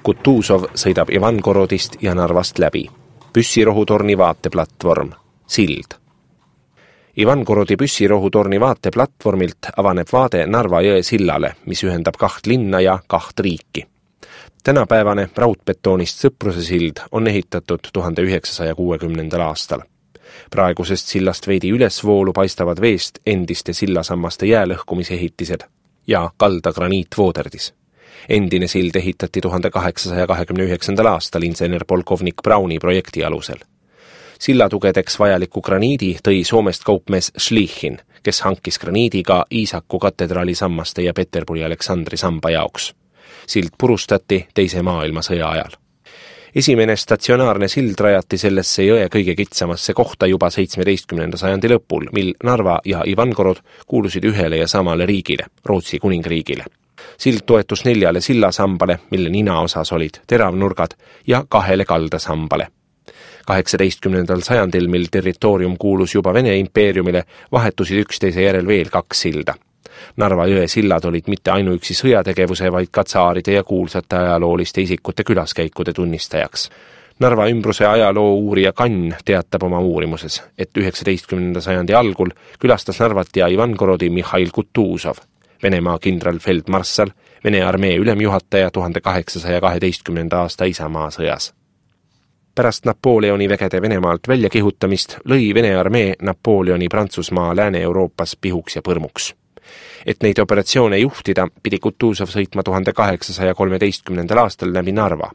Kutuzov sõidab Ivangorodist ja Narvast läbi. Püssirohutorni vaateplatvorm, sild. Ivangorodi püssirohutorni vaateplatvormilt avaneb vaade Narva jõe sillale, mis ühendab 2 linna ja 2 riiki. Tänapäevane raudbetoonist Sõpruse sild on ehitatud 1960. aastal. Praegusest sillast veidi ülesvoolu paistavad veest endiste sillasammaste jäälõhkumisehitised ja kalda graniitvooderdis. Endine sild ehitati 1829. aastal insener polkovnik Brauni projekti alusel. Sillatugedeks vajaliku graniidi tõi Soomest kaupmees Schlichin, kes hankis graniidiga Iisaku katedraali sammaste ja Peterburi Aleksandri samba jaoks. Sild purustati Teise maailmasõja ajal. Esimene statsionaarne sild rajati sellesse jõe kõige kitsamasse kohta juba 17. sajandi lõpul, mil Narva ja Ivangorod kuulusid ühele ja samale riigile, Rootsi kuningriigile. Sild toetus 4 sillasambale, mille ninaosas olid teravnurgad, ja 2 kaldasambale. 18. sajandil, mil territoorium kuulus juba Vene impeeriumile, vahetusid üksteise järel veel 2 silda. Narva jõe sillad olid mitte ainuüksi sõjategevuse, vaid ka tsaaride ja kuulsate ajalooliste isikute külaskäikude tunnistajaks. Narva ümbruse ajaloo uurija Kann teatab oma uurimuses, et 19. sajandi algul külastas Narvat ja Ivangorodi Mihhail Kutuzov, Venemaa kindralfeldmarssal, Vene armee ülemjuhataja 1812. aasta isamaasõjas. Pärast Napoleoni vägede Venemaalt väljakihutamist lõi Vene armee Napoleoni Prantsusmaa Lääne-Euroopas pihuks ja põrmuks. Et neid operatsioone juhtida, pidi Kutuzov sõitma 1813. aastal läbi Narva.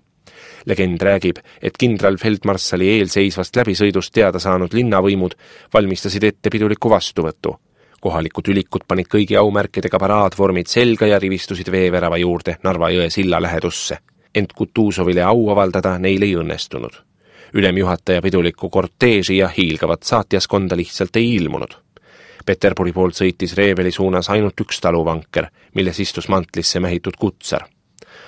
Legend räägib, et kindralfeldmarssali eelseisvast läbisõidust teada saanud linnavõimud valmistasid ette piduliku vastuvõttu. Kohalikud ülikud panid kõigi aumärkidega paraadvormid selga ja rivistusid veevärava juurde Narva jõe silla lähedusse. Ent Kutuzovile au avaldada neil ei õnnestunud. Ülemjuhataja piduliku korteeži ja hiilgavat saatjaskonda lihtsalt ei ilmunud. Peterburi poolt sõitis Reeveli suunas ainult 1 taluvanker, milles istus mantlisse mähitud kutsar.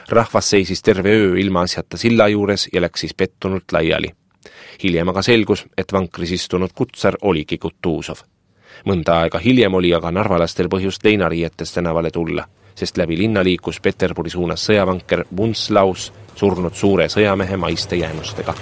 Rahvas seisis terve öö ilma asjata silla juures ja läks siis pettunult laiali. Hiljem aga selgus, et vankris istunud kutsar oligi Kutuzov. Mõnda aega hiljem oli aga narvalastel põhjust leinariietes tänavale tulla, sest läbi linna liikus Peterburi suunas sõjavanker Bunslaus, surnud suure sõjamehe maiste jäänustega.